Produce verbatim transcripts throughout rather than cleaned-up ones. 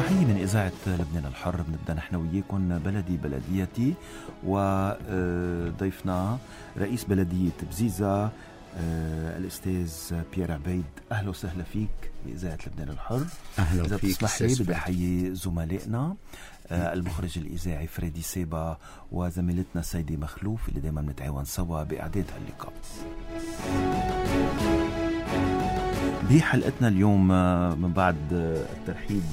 تحية من إذاعة لبنان الحر. بنبدأ نحن وياكم بلدي بلديتي، وضيفنا رئيس بلدية بزيزة الأستاذ بيير عبيد. أهلا وسهلا فيك بإذاعة لبنان الحر. أهلا إذا فيك. بتسمح لي بدي أحيي زملائنا المخرج الإذاعي فريدي سيبا وزميلتنا سيدي مخلوف اللي دايما نتعاون سوا بإعداد هاللقاء. بحلقتنا اليوم من بعد الترحيب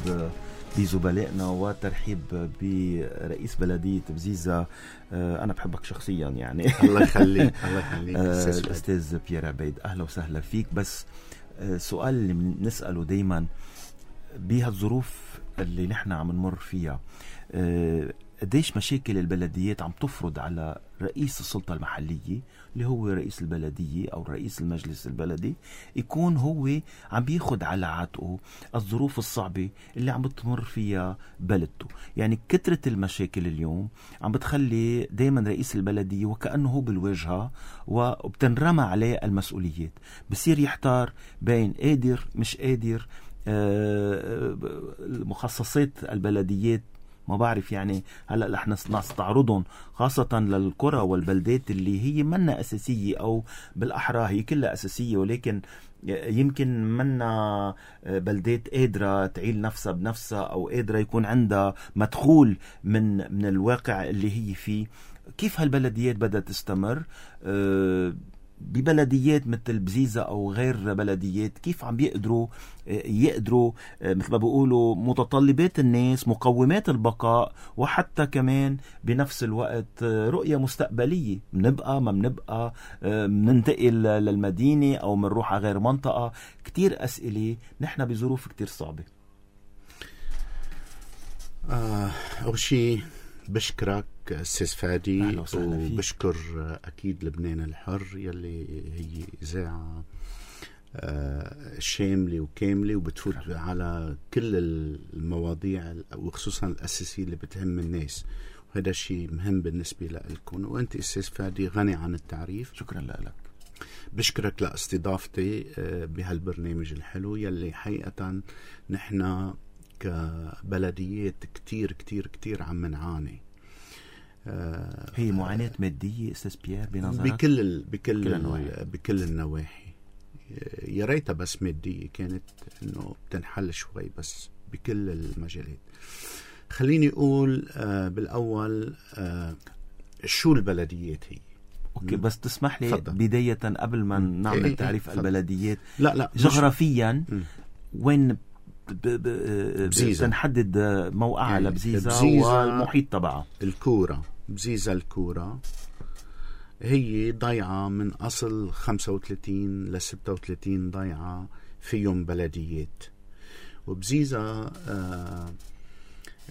بزملائنا وترحيب برئيس بلدية بزيزة، أنا بحبك شخصيا يعني الله يخليك الله يخليك الأستاذ بيير عبيد. أهلا وسهلا فيك. بس سؤال اللي بنسأله دايما بهالظروف اللي نحن عم نمر فيها، قديش مشاكل البلديات عم تفرض على رئيس السلطة المحلية اللي هو رئيس البلدية أو رئيس المجلس البلدي يكون هو عم بياخد على عاتقه الظروف الصعبة اللي عم بتمر فيها بلدته. يعني كترة المشاكل اليوم عم بتخلي دايما رئيس البلدية وكأنه هو بالواجهة وبتنرمى عليه المسؤوليات، بصير يحتار بين قادر مش قادر. مخصصات البلديات ما بعرف يعني هلأ رح نستعرضهم خاصة للقرى والبلدات اللي هي منا أساسية، أو بالأحرى هي كلها أساسية ولكن يمكن منا بلدات قادرة تعيل نفسها بنفسها أو قادرة يكون عندها مدخول من من الواقع اللي هي فيه. كيف هالبلديات بدها تستمر؟ أه ببلديات مثل بزيزة أو غير بلديات كيف عم بيقدروا يقدروا مثل ما بيقولوا متطلبات الناس، مقومات البقاء، وحتى كمان بنفس الوقت رؤية مستقبلية. منبقى ما منبقى مننتقل للمدينة أو منروح على غير منطقة. كتير أسئلة نحن بظروف كتير صعبة. آه أول شيء بشكرك أستاذ فادي، وبشكر أكيد لبنان الحر يلي هي إذاعة شاملة وكاملة وبتفوت على كل المواضيع وخصوصا الأساسية اللي بتهم الناس، وهذا الشيء مهم بالنسبة لكم. وأنت أستاذ فادي غني عن التعريف. شكرا لك. بشكرك لاستضافتي بهالبرنامج الحلو يلي حقيقة نحن كبلديات كتير كتير كتير عم نعاني. آه هي معاناة مادية أستاذ بيير بنظرك؟ بكل ال... بكل كل ال... بكل النواحي. يا ريتها بس مادية كانت إنه بتنحل شوي، بس بكل المجالات. خليني أقول آه بالأول آه شو البلديات هي. أوكي بس تسمح لي فضل. بداية قبل ما نعمل إيه تعريف إيه البلديات، لا لا جغرافيا مش... وين بزيزة نحدد موقعها يعني لبزيزة, بزيزة والمحيط تبعها؟ الكورة بزيزة الكورة هي ضيعة من أصل خمسة وثلاثين لستة وثلاثين ضيعة فيهم بلديات. وبزيزة آه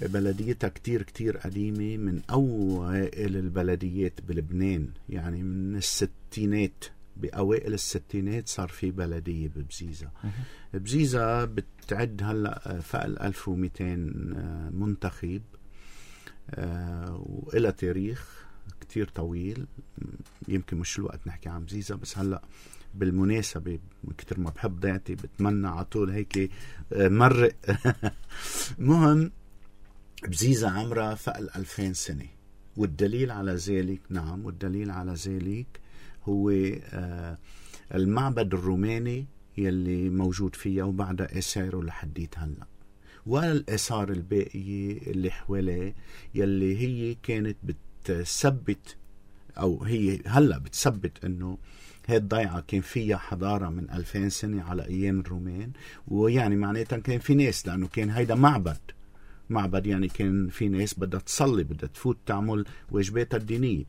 بلديتها كتير كتير قديمة، من أوائل البلديات بلبنان، يعني من الستينات، بأوائل الستينات صار في بلدية ببزيزة. بزيزة بتعد هلأ فوق ألف ومئتين منتخب وإلى تاريخ كتير طويل. يمكن مش الوقت نحكي عن بزيزة، بس هلأ بالمناسبة من كتر ما بحب ضيعتي بتمنى عطول هيك مرق مهم بزيزة عمرها فوق الألفين سنة، والدليل على ذلك نعم والدليل على ذلك هو آه المعبد الروماني يلي موجود فيها وبعدها آثاره لحديت هلا، والآثار الباقية اللي حواليه يلي هي كانت بتثبت أو هي هلا بتثبت إنه هاي الضيعة كان فيها حضارة من ألفين سنة على أيام الرومان. ويعني معناتها كان في ناس، لأنه كان هيدا معبد معبد يعني كان في ناس بدها تصلي، بدها تفوت تعمل واجباتها الدينية.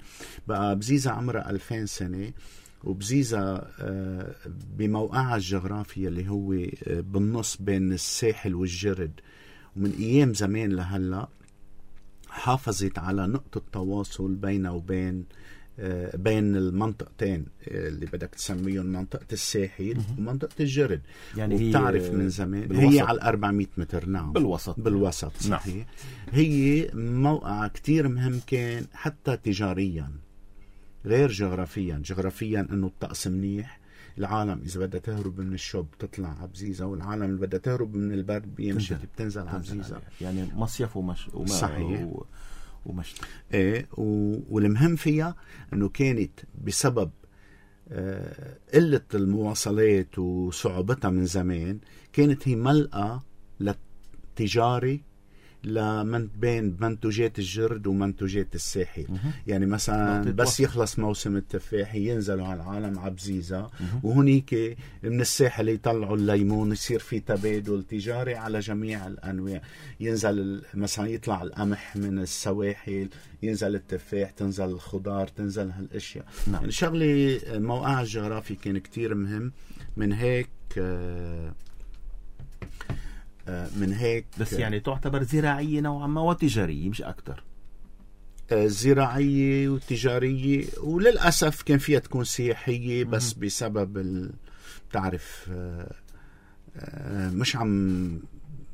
بقى بزيزة عمرها ألفين سنة، وبزيزة بموقعها الجغرافي اللي هو بالنص بين الساحل والجرد، ومن أيام زمان لهلأ حافظت على نقطة تواصل بينها وبين بين المنطقتين اللي بدك تسميهم منطقة الساحل ومنطقة الجرد. يعني وبتعرف من زمان بالوسط. هي على أربعمية متر. نعم بالوسط بالوسط صحيح. نعم. هي موقع كتير مهم كان حتى تجاريا غير جغرافيا. جغرافيا انه الطقس منيح، العالم إذا بدها تهرب من الشوب تطلع عبزيزة، والعالم اللي بدها تهرب من البرد بيمشي بتنزل عبزيزة. يعني مصيف ومش وما صحيح و... ومشتى. ايه و... والمهم فيها انه كانت بسبب آه قلة المواصلات وصعوبتها من زمان، كانت هي ملقى للتجاري لمن بين منتوجات الجرد ومنتوجات الساحل. يعني مثلا بس يخلص موسم التفاح ينزلوا على العالم عبزيزة، وهنيك من الساحل يطلعوا الليمون، يصير في تبادل تجاري على جميع الأنواع. ينزل مثلا يطلع القمح من السواحل، ينزل التفاح، تنزل الخضار، تنزل هالاشياء. نعم. يعني شغلي موقع الجغرافي كان كتير مهم. من هيك آه من هيك بس يعني تعتبر زراعية نوعا ما وتجارية مش أكتر. زراعية وتجارية، وللأسف كان فيها تكون سياحية بس بسبب بتعرف مش عم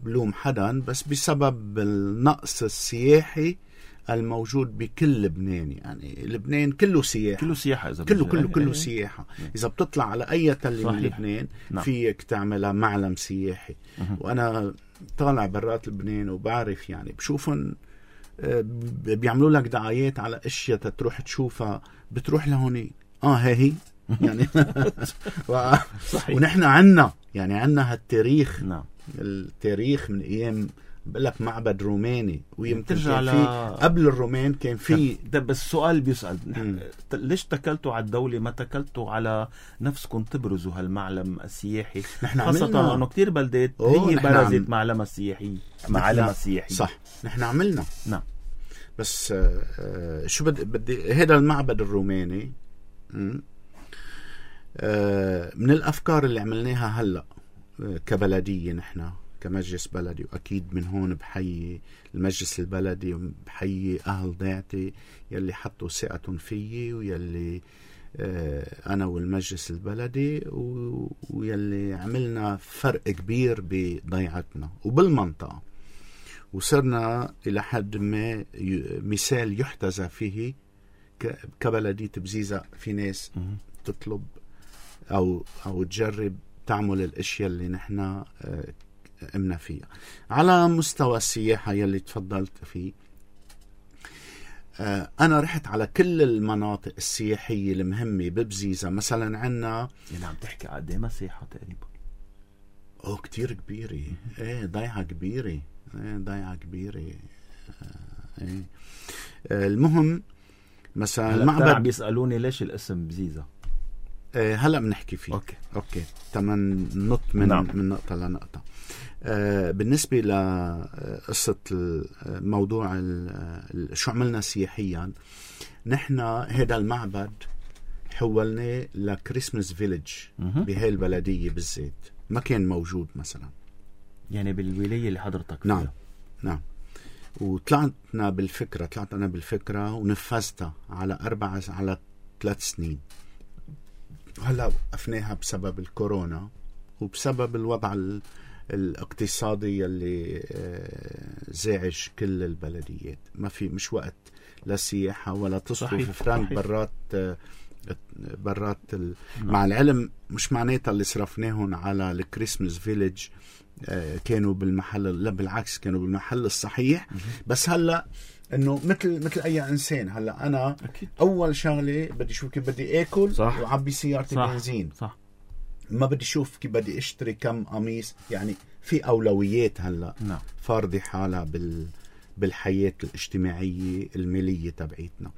بلوم حدا، بس بسبب النقص السياحي الموجود بكل لبنان. يعني لبنان كله سياحة، كله سياحة إذا كله كله كله سياحة. إذا بتطلع على أي تلة من لبنان نعم. فيك تعملها معلم سياحي. مه. وأنا طالع برات لبنان وبعرف يعني بشوفن بيعملوا لك دعايات على أشياء تروح تشوفها، بتروح لهوني آه هي هي يعني و... ونحن عنا يعني عنا هالتاريخ. نعم. التاريخ من أيام بقول لك معبد روماني، ويمكن ترجع كان في قبل الرومان كان في. ده بس السؤال بيسأل ليش تكلتوا على الدولة ما تكلتوا على نفسكم تبرزوا هالمعلم السياحي؟ خاصة انه كتير بلدات هي برزت معلمها السياحي معلمها السياحي. صح نحن عملنا. نعم. بس آه شو بدي بدي هذا المعبد الروماني آه من الافكار اللي عملناها هلا آه كبلدية، نحن كمجلس بلدي، وأكيد من هون بحيي المجلس البلدي وبحيي أهل ضيعتي يلي حطوا ثقتهم فيي، ويلي آه أنا والمجلس البلدي، ويلي عملنا فرق كبير بضيعتنا وبالمنطقة، وصرنا إلى حد ما مثال يحتذى فيه كبلدية بزيزة. في ناس تطلب أو أو تجرب تعمل الأشياء اللي نحن آه قمنا فيها. على مستوى السياحة يلي تفضلت فيه، آه أنا رحت على كل المناطق السياحية المهمة ببزيزة. مثلا عنا يعني عم تحكي قد ايه مساحة تقريبا؟ أوه كتير كبيرة. ايه ضيعة كبيرة. ايه ضيعة كبيرة. آه ايه آه المهم مثلا المعبد عم بيسألوني ليش الاسم بزيزة. آه هلا بنحكي فيه. اوكي اوكي تمن نط من نعم. من نقطة لنقطة. آه بالنسبة لقصة الموضوع شو عملنا سياحيا، نحن هذا المعبد حولناه لكريسماس فيليج بهاي البلدية بالذات، ما كان موجود مثلا يعني بالولاية اللي حضرتك فيها. نعم نعم. وطلعتنا بالفكرة طلعت أنا بالفكرة ونفذتها على أربع على ثلاث سنين، وهلا وقفناها بسبب الكورونا وبسبب الوضع الاقتصادي اللي زاعج كل البلديات. ما في مش وقت لا سياحة ولا تصرف فرانك برات برات ال... مع العلم مش معناتها اللي صرفناهم على الكريسماس فيليج كانوا بالمحل، لا بالعكس كانوا بالمحل الصحيح. بس هلا انه مثل مثل اي انسان، هلا انا أكيد. اول شغله بدي اشوف كيف بدي اكل وعبي سيارتي بنزين. صح. ما بدي اشوف كيف بدي اشتري كم قميص. يعني في اولويات هلا نعم. فارضه حالها بال بالحياه الاجتماعيه الماليه تبعيتنا.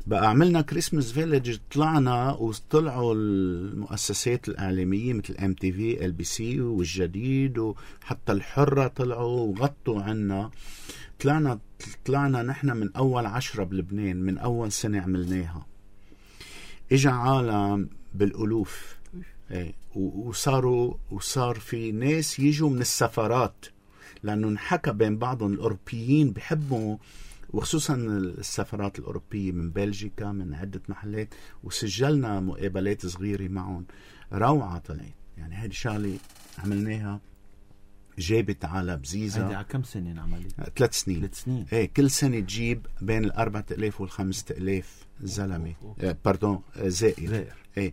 بقى عملنا كريسماس فيليج، طلعنا وطلعوا المؤسسات الإعلامية مثل ام تي في ال بي سي والجديد وحتى الحرة طلعوا وغطوا عنا. طلعنا طلعنا نحن من أول عشرة بلبنان، من أول سنة عملناها. إجا عالم بالألوف ايه وصاروا وصار في ناس يجوا من السفارات، لأنه انحكى بين بعضهم الأوروبيين بحبوا، وخصوصا السفارات الأوروبية من بلجيكا من عدة محلات، وسجلنا مقابلات صغيرة معهم. روعة طلعت. يعني هذه شغلة عملناها جابت على بزيزة. هيدي على كم سنة انعملت؟ ثلاث سنين. ثلاث سنين. ايه كل سنة تجيب بين الأربعة آلاف والخمسة آلاف زلمة، آه باردون آه زائر. زائر. ايه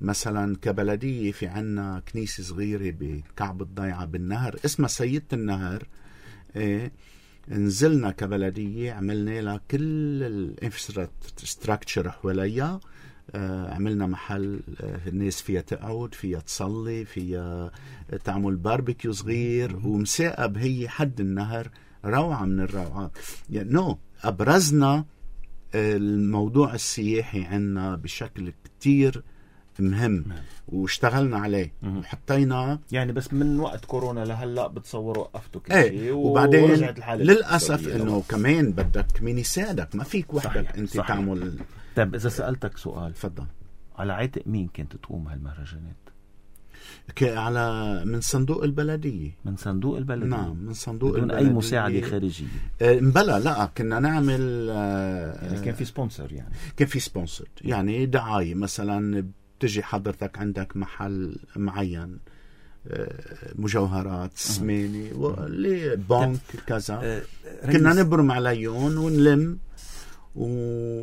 مثلا كبلدية في عنا كنيسة صغيرة بكعب الضيعة بالنهر اسمها سيدة النهر. ايه نزلنا كبلدية عملنا لها كل الانفراستراكشر حواليها. آه عملنا محل آه الناس فيها تقعد، فيها تصلي، فيها تعمل باربيكيو صغير، ومساقب هي حد النهر. روعة من الروعات. يعني نو أبرزنا الموضوع السياحي عنا بشكل كتير مهم واشتغلنا عليه وحطينا. يعني بس من وقت كورونا لهلا بتصوروا وقفتوا كل ايه شيء، وبعدين للأسف انه كمان بدك مين يساعدك، ما فيك وحدك انت صحيح. تعمل. طيب اذا سألتك سؤال، تفضل. على عاتق مين كنت تقوم هالمهرجانات؟ على من صندوق البلدية. من صندوق البلدية؟ نعم من صندوق بدون البلدية. أي مساعدة خارجية؟ آه مبلا لا كنا نعمل آه يعني كان في سبونسر. يعني كان في سبونسر يعني دعاية. مثلا بتجي حضرتك عندك محل معين آه مجوهرات سميني واللي بنك كذا آه كنا نبرم عليهم ونلم و...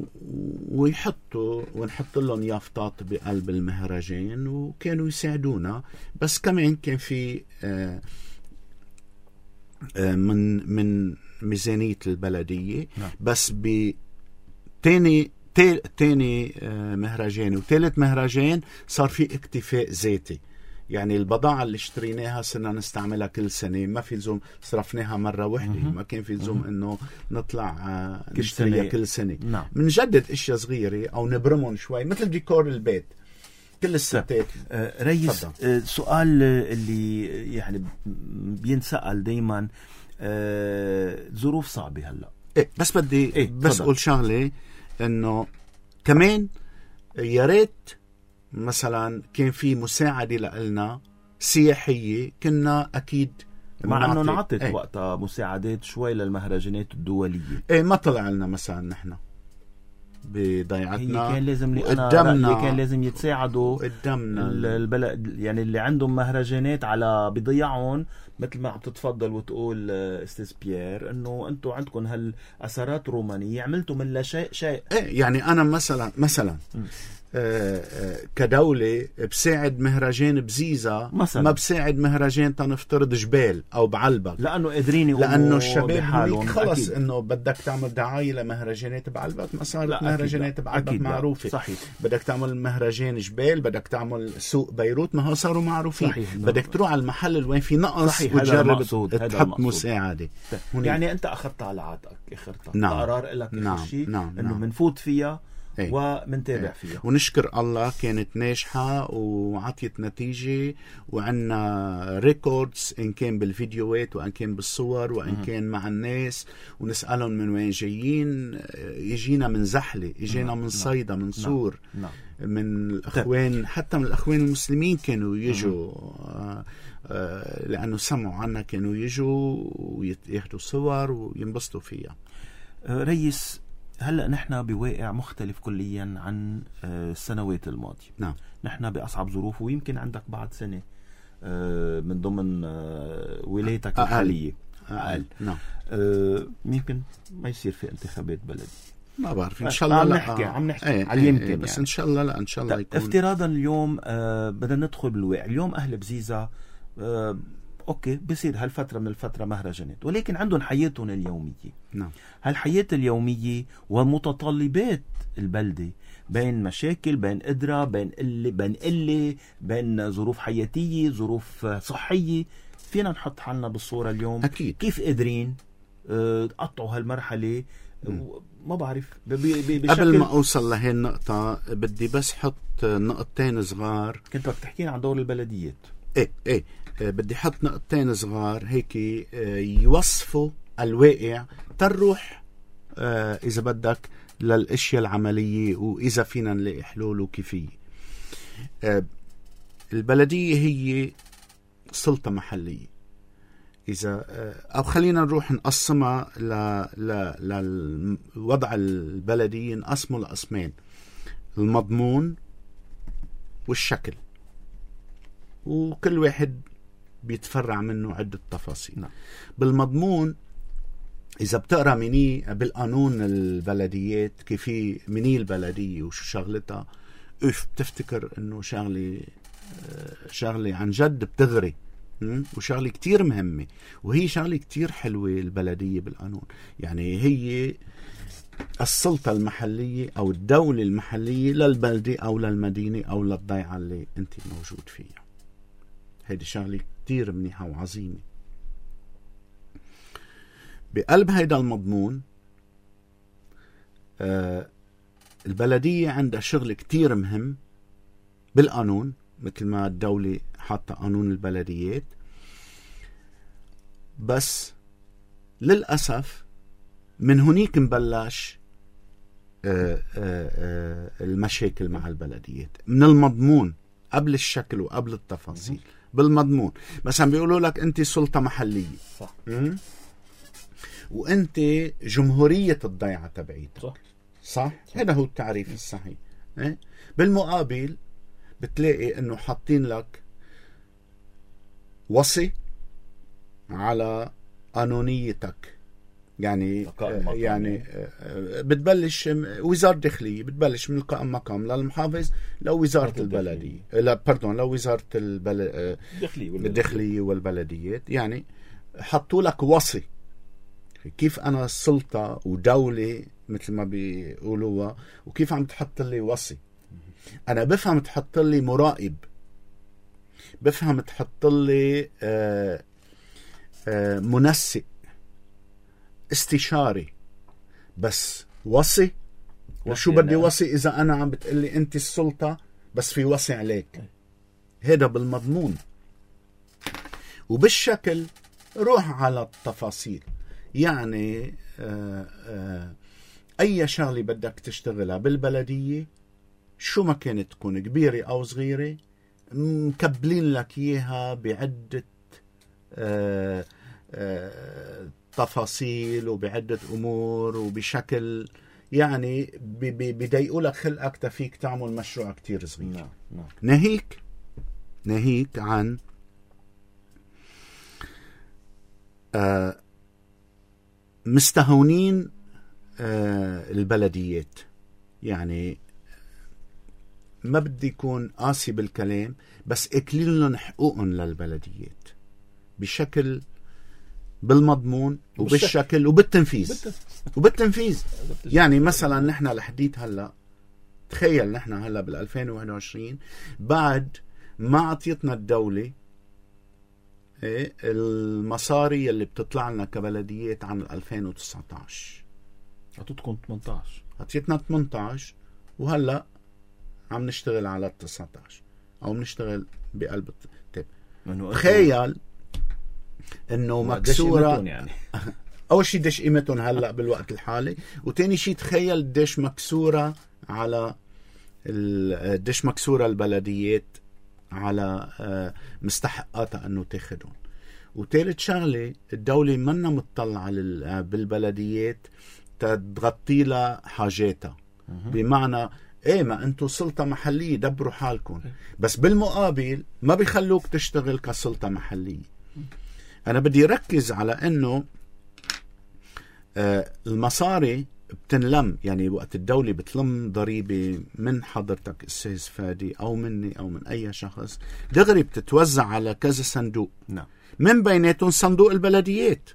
ويحطوا ونحط لهم يافطات بقلب المهرجان وكانوا يساعدونا. بس كمان كان في آه آه من من ميزانية البلدية. نعم. بس بتاني تاني آه مهرجان وثالث مهرجان صار في اكتفاء ذاتي. يعني البضاعة اللي اشتريناها صرنا نستعملها كل سنة، ما في لزوم صرفناها مرة واحدة. ما كان في لزوم انه نطلع نشتريها كل سنة. نعم. منجدد اشياء صغيرة او نبرمهم شوي مثل ديكور البيت كل الستات. آه ريس، آه سؤال اللي يعني بينسأل دايما، آه ظروف صعبة هلا. ايه بس بدي إيه بس اقول شغلة انه كمان يا ريت مثلا كان في مساعدة لنا سياحية كنا أكيد مع أنه نعطت ايه. وقتها مساعدات شوي للمهرجانات الدولية. ايه ما طلع لنا مثلا نحن بضيعتنا. هي كان لازم لي أنا اللي كان لازم يتساعدوا قدامنا البلد، يعني اللي عندهم مهرجانات على بضيعهم، مثل ما عم تتفضل وتقول استاذ بيير انه انتم عندكم هالاثارات الرومانية عملتوا من لا شيء شيء. ايه يعني انا مثلا مثلا م. آه آه كدولة بساعد مهرجان بزيزة مثلا. ما بساعد مهرجان تنفترض جبال أو بعلبك، لأنه قادرين يقوموا لأنه الشباب خلص إنه بدك تعمل دعاية لمهرجانات بعلبك ما صارت مهرجانات بعلبك معروفة. صحيح. بدك تعمل مهرجان جبال، بدك تعمل سوق بيروت ما هو صاروا معروفين. صحيح. بدك تروح على المحل اللي وين في نقص وتجرب تحط مساعدة. يعني أنت أخذت على عاتقك اخرتها. نعم. قرار لك نعم. شيء نعم. إنه منفوت فيها ايه. ومنتابع ايه. فيها ونشكر الله كانت ناجحة وعطيت نتيجة، وعنا ريكوردز إن كان بالفيديوهات وإن كان بالصور وإن م- كان مع الناس، ونسألهم من وين جايين. يجينا من زحلة، يجينا من صيدا، من صور، م- من الأخوان، حتى من الأخوان المسلمين كانوا يجوا آه آه لأنه سمعوا عنا كانوا يجوا وياخدوا صور وينبسطوا فيها. آه ريس، هلأ نحن بواقع مختلف كليا عن السنوات الماضية. نعم. نحن بأصعب ظروف، ويمكن عندك بعد سنة من ضمن ولايتك الحالية أقل. نعم. يمكن ما يصير في انتخابات بلدي، ما بعرف. إن شاء الله عم لا نحكي عم نحكي ايه على يمكن ايه بس يعني. إن شاء الله لا إن شاء الله يكون. افتراضا اليوم بدنا ندخل بالواقع. اليوم أهل بزيزة اوكي بصير هالفترة من الفترة مهرجانات، ولكن عندهم حياتهم اليومية. نعم. هالحياة اليومية ومتطلبات البلدة، بين مشاكل، بين قدرة، بين قلة، بين قلة، بين ظروف حياتية، ظروف صحية. فينا نحط حالنا بالصورة اليوم. أكيد. كيف قادرين تقطعوا هالمرحلة؟ ما بعرف. قبل ما أوصل لهي النقطة بدي بس حط نقطتين صغار. كنت بدك تحكينا عن دور البلديات. ايه ايه بدي حط نقطتين صغار هيك يوصفوا الواقع تروح آه إذا بدك للأشياء العملية، وإذا فينا نلاقي حلول وكيفية. آه البلدية هي سلطة محلية. إذا آه أو خلينا نروح نقسمها للوضع البلدي، نقسمه لقسمين: المضمون والشكل. وكل واحد بيتفرع منه عدة تفاصيل. نعم. بالمضمون إذا بتقرأ مني بالقانون البلديات كيف مني البلدية وشو شغلتها، اف بتفتكر انه شغلة شغلة عن جد بتغري وشغلة كتير مهمة، وهي شغلة كتير حلوة البلدية بالقانون. يعني هي السلطة المحلية أو الدولة المحلية للبلدة أو للمدينة أو للضيعة اللي أنت موجود فيها. هيدي شغلة كتير منيحة وعظيمة. بقلب هيدا المضمون آه البلدية عندها شغل كتير مهم بالقانون، مثل ما الدولة حاطة قانون البلديات، بس للأسف من هنيك نبلش آه آه آه المشاكل مع البلديات من المضمون قبل الشكل وقبل التفاصيل. بالمضمون مثلا بيقولوا لك أنت سلطة محلية، صح، وأنت جمهورية الضيعة تبعيتك، صح صح؟ هذا هو التعريف الصحيح. إيه؟ بالمقابل بتلاقي انه حاطين لك وصي على قانونيتك، يعني آه يعني آه بتبلش وزارة داخلية، بتبلش من القائم مقام للمحافظ لو وزارة البلدية، لا باردون لو وزارة البل... الداخلية والبلديات. يعني حطوا لك وصي. كيف أنا السلطة ودولة مثل ما بيقولوها، وكيف عم تحط لي وصي؟ أنا بفهم تحط لي مراقب، بفهم تحط لي آآ آآ منسق، استشاري، بس وصي؟ وشو بدي وصي إذا أنا عم بتقلي أنت السلطة بس في وصي عليك؟ هذا بالمضمون. وبالشكل روح على التفاصيل. يعني آآ آآ أي شغلة بدك تشتغلها بالبلدية شو ما كانت تكون كبيرة أو صغيرة مكبلين لك إياها بعدة آآ آآ تفاصيل وبعدة أمور وبشكل يعني بيضايقوا لك خلقك تفيك تعمل مشروع كتير صغير. نعم. نعم. ناهيك ناهيك عن آه مستهونين آه البلديات. يعني ما بدي يكون قاسي بالكلام، بس اكلين لهم حقوقهم للبلديات بشكل بالمضمون وبالشكل وبالتنفيذ وبالتنفيذ. يعني مثلا نحن لحديت هلا، تخيل نحن هلا بالألفين وواحد وعشرين بعد ما عطيتنا الدولة إيه المصاري اللي بتطلع لنا كبلديات عن ألفين وتسعة عشر. عطيتكم ثمانية عشر، عطيتنا ثمانية عشر، وهلا عم نشتغل على التسعة عشر او بنشتغل بقلب التب. تخيل انه مكسوره يعني. اول شيء ديش قيمتهم هلا بالوقت الحالي، وتاني شيء تخيل ديش مكسوره على ديش مكسوره البلديات على مستحقاتها انه تاخدهم. وثالث شغله الدوله منا متطلعه بالبلديات تغطي لها حاجاتها، بمعنى ايه ما انتو سلطة محلية دبروا حالكم، بس بالمقابل ما بيخلوك تشتغل كسلطة محلية. انا بدي ركز على انه آه المصاري بتنلم، يعني وقت الدولة بتلم ضريبة من حضرتك استاذ فادي او مني او من اي شخص، دغري بتتوزع على كذا صندوق. نعم. من بيناتهم صندوق البلديات.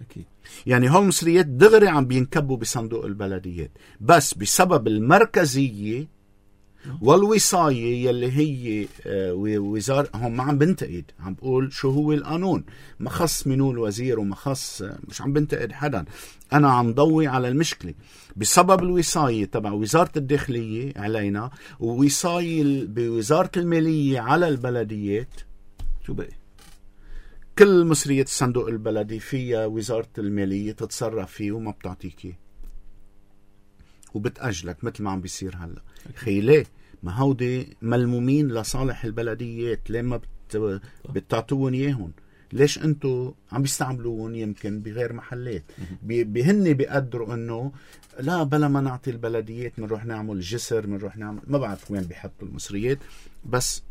أكيد. يعني هول المصريات دغري عم بينكبوا بصندوق البلديات، بس بسبب المركزية والوصاية يلي هي وزارة، هم ما عم بنتقد، عم بقول شو هو القانون، ما خص منو الوزير وما خص، مش عم بنتقد حدا، أنا عم ضوي على المشكلة. بسبب الوصاية تبع وزارة الداخلية علينا ووصاية بوزارة المالية على البلديات، شو بقى؟ كل مصرية الصندوق البلدي فيها وزارة المالية تتصرف فيه وما بتعطيك وبتأجلك مثل ما عم بيصير هلا. خي ليه؟ ما هودي ملمومين لصالح البلديات، ليه ما بت... بتعطوهم اياهم؟ ليش انتو عم بيستعملوهم يمكن بغير محلات؟ بهن بيقدروا انه لا بلا ما نعطي البلديات منروح نعمل جسر، منروح نعمل، ما بعرف وين بيحطوا المصريات، بس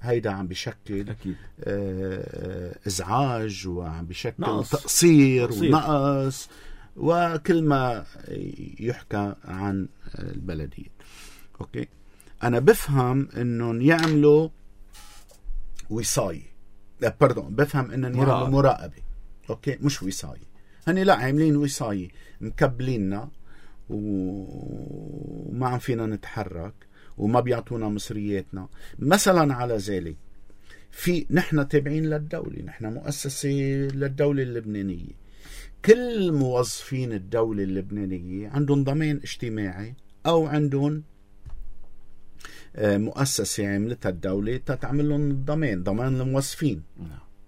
هيدا عم بشكل أكيد. آه ازعاج، وعم بشكل نقص. تقصير, تقصير ونقص، وكل ما يحكى عن البلدية. اوكي، انا بفهم انهم يعملوا وصاية، لا باردون، بفهم انهم يعملوا مراقبة. اوكي، مش وصاية، هني لا عاملين وصاية مكبليننا وما عم فينا نتحرك وما بيعطونا مصرياتنا. مثلا على ذلك في نحن تابعين للدولة، نحن مؤسسة للدولة اللبنانية، كل موظفين الدولة اللبنانية عندهم ضمان اجتماعي أو عندهم مؤسسة عملتها الدولة تتعمل لهم الضمان، ضمان الموظفين،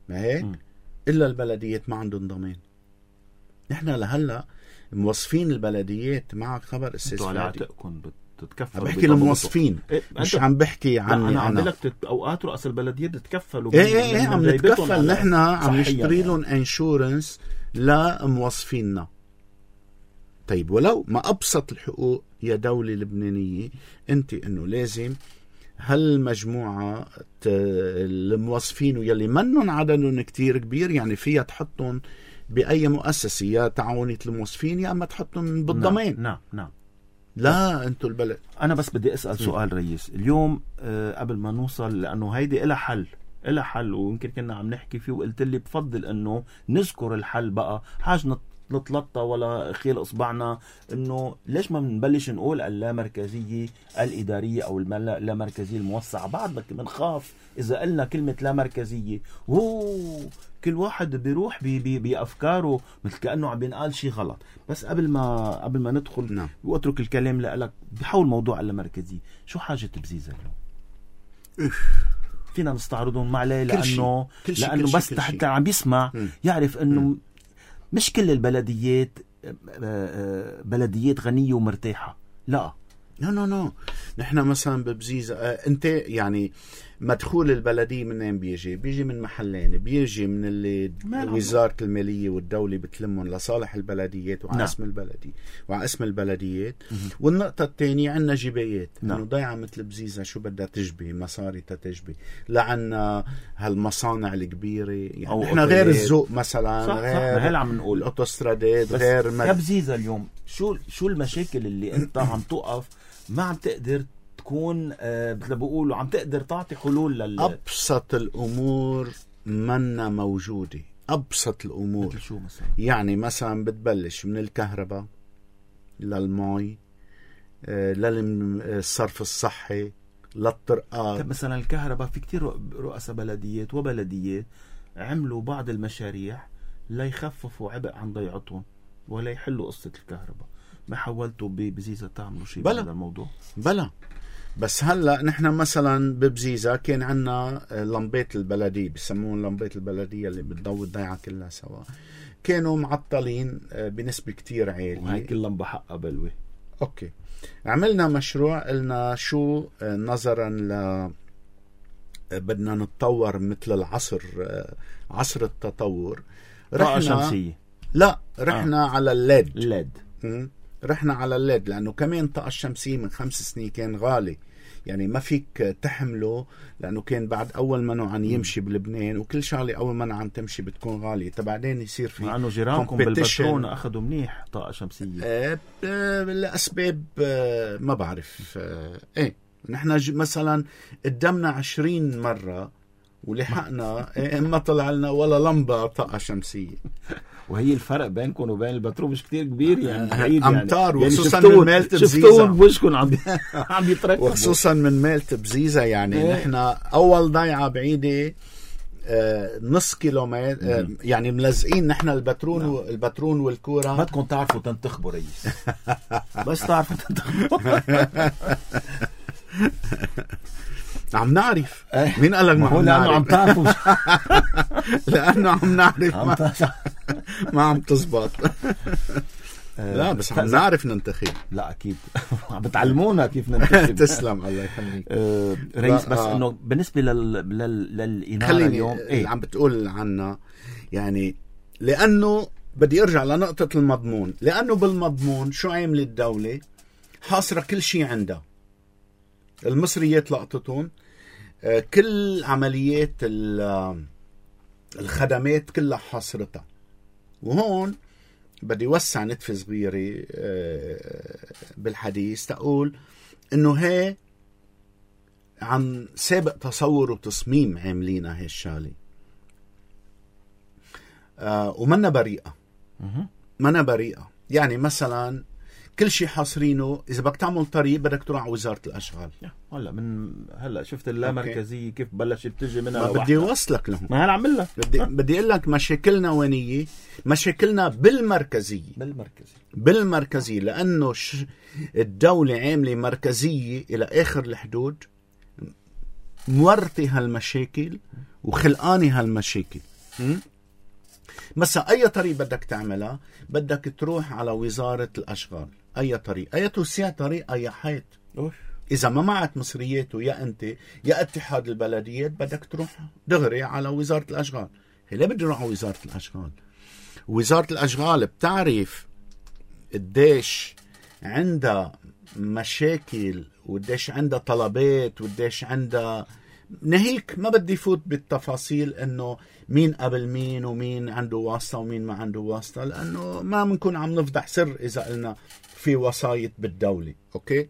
ما هيك؟ إلا البلديات ما عندهم ضمان. نحن لهلا موظفين البلديات، معك خبر أستاذ على عاتقكم بتتكفلوا؟ بحكي الموظفين، إيه مش عم بحكي عني أنا. أنا عم بقول لك اوقات رؤساء البلديات بتتكفلوا. ايه ايه ايه عم نتكفل نحن، عم نشتري لهم انشورنس لموظفيننا. طيب ولو ما ابسط الحقوق يا دولة لبنانية، انت انه لازم هالمجموعة الموظفين واللي منن عددهم كتير كبير، يعني فيها تحطهم بأي مؤسسة يا تعاونية الموظفين يا اما تحطهم بالضمان. نعم نعم, نعم. لا انتو البلد. انا بس بدي اسال سؤال رئيس اليوم آه قبل ما نوصل، لانه هيدي إلها حل إلها حل ويمكن كنا عم نحكي فيه، وقلت لي بفضل انه نذكر الحل بقى، حاج نتلطى ولا خيل اصبعنا، انه ليش ما بنبلش نقول اللامركزيه الاداريه او اللامركزيه الموسعه؟ بعد بنخاف اذا قلنا كلمه لامركزيه اوه كل واحد بيروح بي بي بافكاره مثل كانه عم بينقال شيء غلط. بس قبل ما قبل ما ندخل نعم. واترك الكلام لك بحول موضوع اللامركزيه، شو حاجه بزيزه اليوم؟ فينا نستعرضهم مع ليه؟ لانه كل شي لانه كل بس شي حتى عم بيسمع م. يعرف انه م. مش كل البلديات بلديات غنيه ومرتاحه، لا نو نو نو نحن مثلا ببزيزة آه انت يعني مدخول البلدية منين بيجي؟ بيجي من محلين، بيجي من اللي وزارة المالية والدولة بتلمهم لصالح البلديات وعلى اسم البلدية وعلى اسم البلديات. والنقطة الثانية عندنا جبايات انه ضيعة مثل بزيزة شو بدها تجبي مصاري تتجبي، لعنا هالمصانع الكبيرة، يعني احنا غير الذوق مثلا، صح غير صح عم نقول الاوتوسترادات، غير مد... بزيزة اليوم شو شو المشاكل اللي انت عم توقف ما عم تقدر تكون آه مثل بقولوا عم تقدر تعطي حلول لل أبسط الأمور منا موجودة. أبسط الأمور مثل شو مثلا؟ يعني مثلا بتبلش من الكهرباء للمي آه للصرف الصحي للطرقات. مثلا الكهرباء في كتير رؤساء بلديات وبلديات عملوا بعض المشاريع ليخففوا عبء عن ضيعتهم ولا يحلوا قصة الكهرباء. ما حاولتوا ببزيزة تعملوا شيء بهذا الموضوع؟ بلا بس هلا نحن مثلا ببزيزة كان عنا لمبات البلدية، بسموهم لمبات البلدية اللي بتضوي الضيعة كلها سوا، كانوا معطلين بنسبة كتير عالية، وهي كل لمبة حقها بلوة. اوكي، عملنا مشروع قلنا شو نظرا ل بدنا نتطور مثل العصر، عصر التطور، رحنا شمسية. لا رحنا آه. على الليد الليد م- رحنا على الليد لأنه كمان طاقة الشمسية من خمس سنين كان غالي، يعني ما فيك تحمله، لأنه كان بعد أول منه عن يمشي بلبنان، وكل شغلة أول منه عن تمشي بتكون غالية، تبعدين يصير في مع أنه جيرانكم بالبترون أخذوا منيح طاقة شمسية آه لأسباب آه ما بعرف آه إيه. نحن مثلا قدمنا عشرين مرة ولحقنا إيه ما طلع لنا ولا لمبة طاقة شمسية. وهي الفرق بينكم وبين البترول مش كتير كبير يعني، بعيد أمتار يعني. وخصوصا يعني من مالت بزيزة، شفتوهم بوجهكم عم عم يتركبوا، وخصوصا من مالت بزيزة يعني إيه؟ نحن أول ضيعة بعيدة آه نص كيلومتر آه يعني ملزقين نحن البترون نعم. والبترون والكورة. بدكم تعرفوا تنتخبوا رئيس بس تعرفوا تنتخبوا عم نعرف مين قال لك ما هو لأنه عم تعرفوا لأنه عم نعرف ما, ما عم تزبط لا بس عم نعرف ننتخب. لا أكيد عم بتعلمونا كيف ننتخب. تسلم الله يخليك آه رئيس. بس إنه بالنسبة لل لل للإنارة اليوم إيه عم بتقول عنا يعني، لأنه بدي أرجع لنقطة المضمون، لأنه بالمضمون شو عامل الدولة؟ حاصرة كل شيء عندها، المصريات لقطتهم كل عمليات الخدمات كلها حاصرتها. وهون بدي وسع نتفة صغيرة بالحديث تقول انه هي عن سابق تصور وتصميم عاملينها هي الشغلة، ومنا بريئة منا بريئة. يعني مثلا كل شيء حاصرينه، اذا بدك تعمل طريق بدك تروح على وزارة الاشغال. هلا من هلا شفت اللامركزية كيف بلشت تجي منها. ما بدي اوصلك لهم، ما انا عم لك بدي بدي اقول لك مشاكلنا وينية. مشاكلنا بالمركزية بالمركزية بالمركزية لانه ش... الدولة عاملة مركزية الى اخر الحدود، مورطي هالمشاكل وخلقاني هالمشاكل. م? مثلا اي طريق بدك تعملها بدك تروح على وزارة الاشغال. اي طريق، اي توسيع طريق، اي حيط. اذا ما معك مصريات ويا انت يا اتحاد البلديات بدك تروح دغري على وزارة الاشغال. هي ليه بدي اروح على وزارة الاشغال؟ وزارة الاشغال بتعرف قديش عندها مشاكل وقديش عندها طلبات وقديش عندها. نهيك ما بدي فوت بالتفاصيل انه مين قبل مين ومين عنده واسطة ومين ما عنده واسطة، لانه ما بنكون عم نفضح سر اذا قلنا في وسايط بالدولة. اوكي،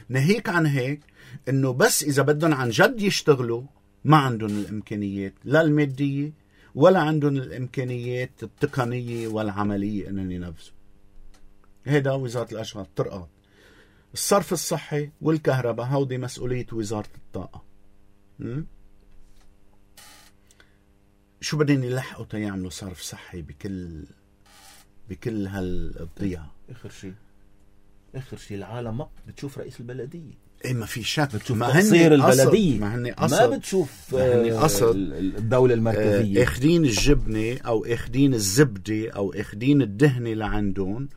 نهيك عن هيك انه بس اذا بدهم عن جد يشتغلوا ما عندهم الامكانيات لا المادية ولا عندهم الامكانيات التقنية والعملية انهم ينفذوا. هيدا وزارة الاشغال طرقات. الصرف الصحي والكهرباء هودي مسؤولية وزارة الطاقة. م? شو بدين يلحقوا تيعملوا صرف صحي بكل بكل هالضيعة؟ اخر شيء اخر شيء العالم ما بتشوف رئيس البلدية. ايه ما في شك، بتشوف تقصير البلدية، ما هن ما بتشوف قصد الدولة المركزية. اخدين الجبنة او اخدين الزبدة او اخدين الدهنة لعندهم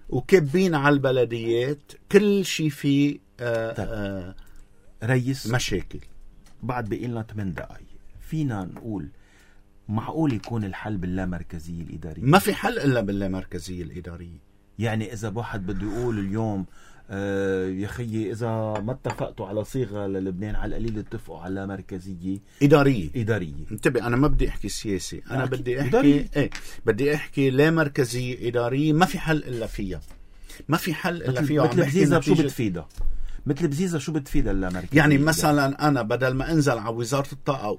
وكبين على البلديات كل شيء فيه آآ آآ ريس مشاكل. بعد بقيلنا ثمان دقايق، فينا نقول معقول يكون الحل باللامركزية الإدارية؟ ما في حل إلا باللامركزية الإدارية. يعني إذا واحد بده يقول اليوم آه يا خيي إذا ما اتفقتوا على صيغة للبنان على القليل اتفقوا على مركزية إدارية. إدارية انتبه، أنا ما بدي أحكي سياسي، أنا أحكي بدي أحكي إدارية. إيه بدي أحكي لا مركزية إدارية. ما في حل إلا فيها، ما في حل إلا فيها. مثل بزيزة شو بتفيدها؟ مثل بزيزة شو بتفيدها اللامركزية؟ يعني مثلا أنا بدل ما أنزل على وزارة الطاقة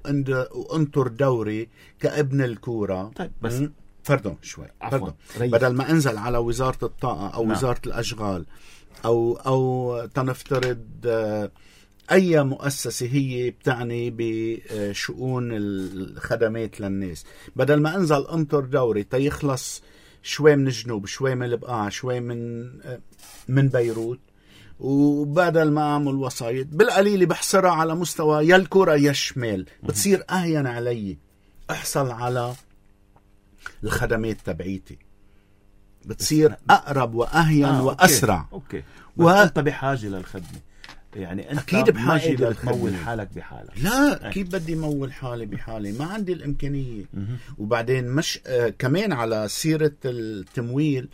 وأنطر دوري كابن الكورة. طيب بس فردون شوي فردون. بدل ما أنزل على وزارة الطاقة أو نعم. وزارة الأشغال أو أو تنفترض أي مؤسسة هي بتعني بشؤون الخدمات للناس، بدل ما أنزل أنطر دوري تيخلص شوي من الجنوب شوي من البقاع شوي من من بيروت، وبدل ما أعمل وسايط بالقليل بحصرها على مستوى يا الكرة يا الشمال، بتصير أهين علي أحصل على الخدمات تبعيتي، بتصير أقرب وأهين آه، وأسرع. أوكي. أوكي. و... أنت بحاجة للخدمة، يعني أنت أكيد بحاجة تمول حالك بحالك. لا أي. كيف بدي مول حالي بحالي؟ ما عندي الإمكانية. م- وبعدين مش آه كمان على سيرة التمويل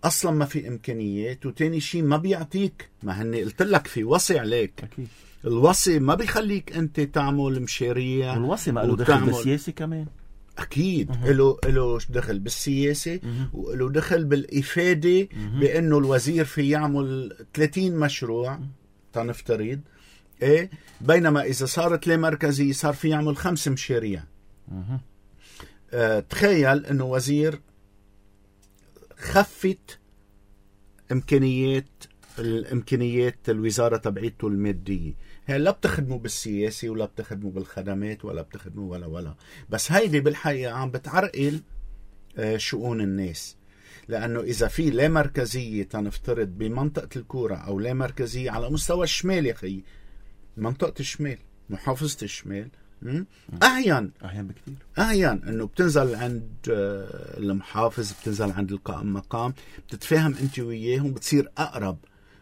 أصلا ما في إمكانيات، وتاني شيء ما بيعطيك، ما هني قلت لك في وصي عليك. أكيد. الوصي ما بيخليك أنت تعمل مشاريع، والوصي ما له دخل بالسياسة كمان. أكيد له له دخل بالسياسة وله دخل بالإفادة، بأنه الوزير في يعمل ثلاثين مشروع تنفترض إيه، بينما إذا صارت لي مركزي صار في يعمل خمس مشاريع. آه تخيل أنه وزير خفت إمكانيات الإمكانيات الوزارة تبعيته المادية. هي لا بتخدموا بالسياسة ولا بتخدموا بالخدمات ولا بتخدموا ولا ولا بس هيدي بالحقيقة عم بتعرقل شؤون الناس، لأنه إذا في لا مركزية تنفترض بمنطقة الكورة أو لا مركزية على مستوى الشمال، يا أخي منطقة الشمال محافظة الشمال أهين أهين بكتير، أهين أنه بتنزل عند المحافظ، بتنزل عند القائم مقام، بتتفاهم أنت وياهم، بتصير أقرب.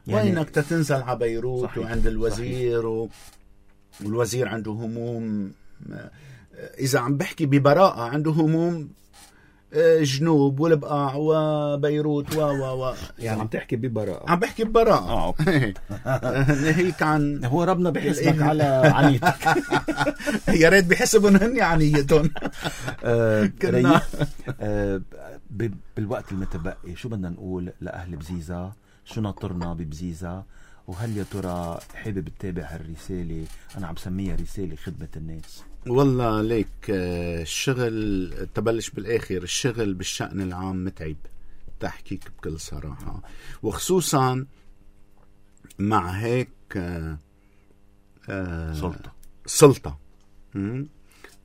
يعني وينك تتنزل على بيروت صحيح. وعند الوزير و... والوزير عنده هموم، إذا عم بحكي ببراءة عنده هموم جنوب والبقاع وبيروت و و و يعني عم تحكي ببراءة. عم بحكي ببراءة. اه اوكي. هيك عن هو ربنا بيحسبك على عنيتك. يا ريت بيحسبون هني عنيتهم. كنا بالوقت المتبقي شو بدنا نقول لأهل بزيزة؟ شو ناطرنا ببزيزة؟ وهل يا ترى حابب تتابع هالرسالة؟ أنا عم سميها رسالة خدمة الناس. والله ليك الشغل تبلش بالآخر، الشغل بالشأن العام متعب تحكيك بكل صراحة، وخصوصا مع هيك سلطة سلطة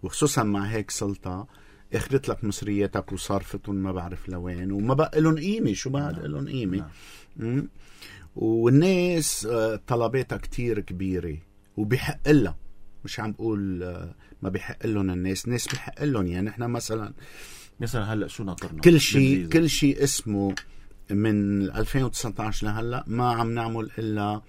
وخصوصا مع هيك سلطة اخذت لك مصرياتك وصارفتهم ما بعرف لوين وما بقى لهم قيمة. شو بقى لهم قيمة؟ نعم. والناس طلباتها كتير كبيرة وبيحق لها، مش عم بقول ما بيحق لهم الناس، ناس بيحق لهم. يعني احنا مثلا مثلا هلا شو ناطرنا؟ كل شيء كل شيء اسمه من ألفين وتسعة عشر لهلا ما عم نعمل الا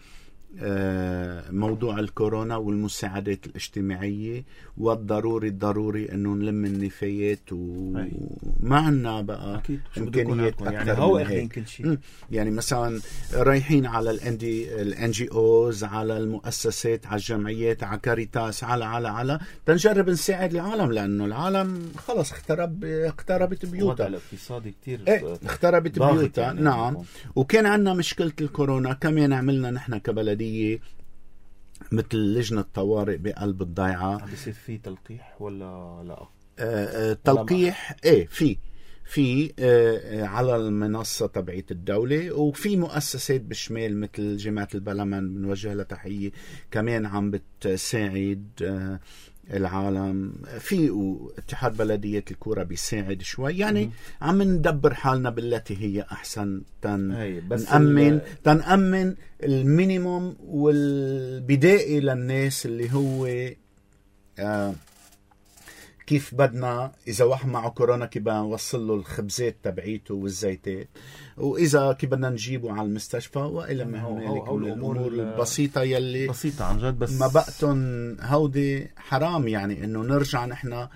موضوع الكورونا والمساعدات الاجتماعية، والضروري الضروري انه نلم النفايات وما عنا بقى امكانيات اكثر يعني هو اخذين كل شيء. يعني مثلا رايحين على الان جي اوز، على المؤسسات، على الجمعيات، على كاريتاس، على على على تنجرب نساعد العالم، لانه العالم خلص اخترب اختربت بيوتها. الاقتصادي كتير ايه اختربت بيوتها. يعني نعم. وكان عندنا مشكلة الكورونا كمان عملنا نحن كبلدية مثل لجنة طوارئ بقلب الضيعة. عم بيصير في تلقيح ولا لا؟ آه آه تلقيح ايه في في آه على المنصة تبعية الدولة، وفي مؤسسات بالشمال مثل جامعة البلمن بنوجه لها تحية كمان عم بتساعد آه العالم، في اتحاد بلدية الكورة بيساعد شوي. يعني عم ندبر حالنا بالتي هي أحسن تن نأمن تنأمن المينيموم والبدائي للناس اللي هو آه كيف بدنا إذا واحد معه كورونا كيف بدنا نوصل له الخبزات تبعيته والزيتات، وإذا كيف بدنا نجيبه على المستشفى، وإلى ما هنالك من الأمور البسيطة يلي بسيطة عن جد. بس ما بقتن هودي حرام يعني إنه نرجع نحن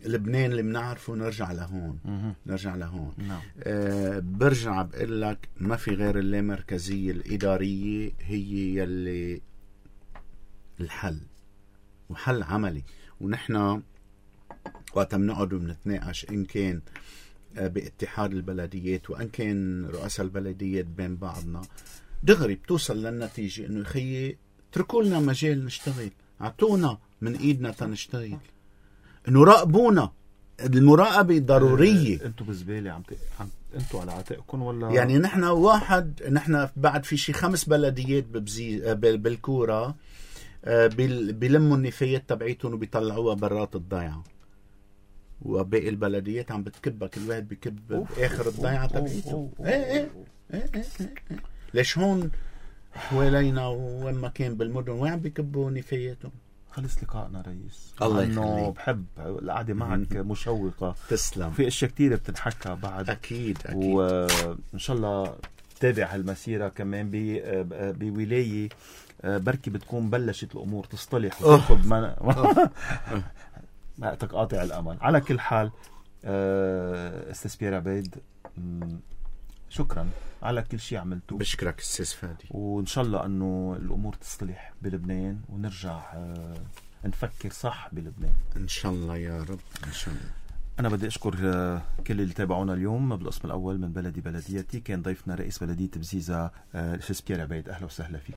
لبنان اللي بنعرفه نرجع لهون. نرجع لهون. نعم. آه برجع بقول لك ما في غير اللامركزية الإدارية هي يلي الحل، وحل عملي. ونحن وقت بنقعد وبنتناقش إن كان باتحاد البلديات وإن كان رؤساء البلديات بين بعضنا، دغري بتوصل للنتيجة إنه يخيي اتركوا لنا مجال نشتغل، عطونا من إيدنا تنشتغل، إنه راقبونا. المراقبة ضرورية. انتوا بزبالة عم, ت... عم انتوا على عاتقكم ولا؟ يعني نحن واحد نحن بعد في شي خمس بلديات ببزي بالكورة بيلموا النفايات تبعيتهم وبيطلعوها برات الضيعة، وباقي البلديات عم بتكبها، كل واحد بكب بآخر الضيعة تبعيته. ايه ايه ايه ايه ايه ليش هون حوالينا وين كان بالمدن وين عم بيكبوا نفاياتهم؟ خلص لقائنا رئيس. الله يخليك. بحب القعدة معك مشوقة. تسلم. في اشياء كتير بتنحكى بعد. اكيد اكيد. وان شاء الله تابع هالمسيرة كمان بولاية بركي بتكون بلشت الامور تصطلح وتاخذ من... ما تقاطع الامل. على كل حال استاذ بيير عبيد، شكرا على كل شيء عملته. بشكرك استاذ فادي، وان شاء الله انه الامور تصطلح بلبنان ونرجع نفكر صح بلبنان ان شاء الله يا رب. ان شاء الله. أنا بدي أشكر كل اللي تابعونا اليوم. بالقسم الأول من بلدي بلديتي كان ضيفنا رئيس بلدية بزيزة الأستاذ بيير عبيد. أهلا وسهلا فيك.